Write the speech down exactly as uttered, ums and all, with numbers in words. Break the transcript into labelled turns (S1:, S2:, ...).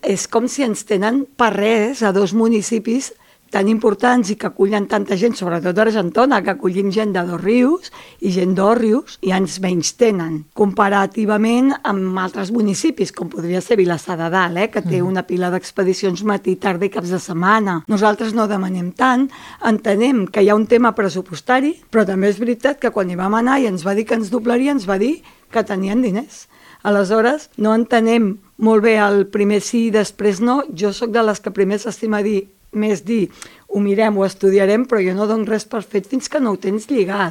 S1: és com si ens tenen per res a dos municipis tan importants i que acullen tanta gent, sobretot a Argentona, que acollim gent de Dosrius i gent d'Òrrius, i ens menys tenen, comparativament amb altres municipis, com podria ser Vilassar de Dalt, eh, que té una pila d'expedicions matí, tarda i caps de setmana. Nosaltres no demanem tant, entenem que hi ha un tema pressupostari, però també és veritat que quan hi vam anar i ens va dir que ens doblaria, ens va dir que tenien diners. Aleshores, no entenem molt bé el primer sí i després no. Jo sóc de les que primer s'estima dir més dir, ho mirem, ho estudiarem, però jo no dono res per fet fins que no ho tens lligat.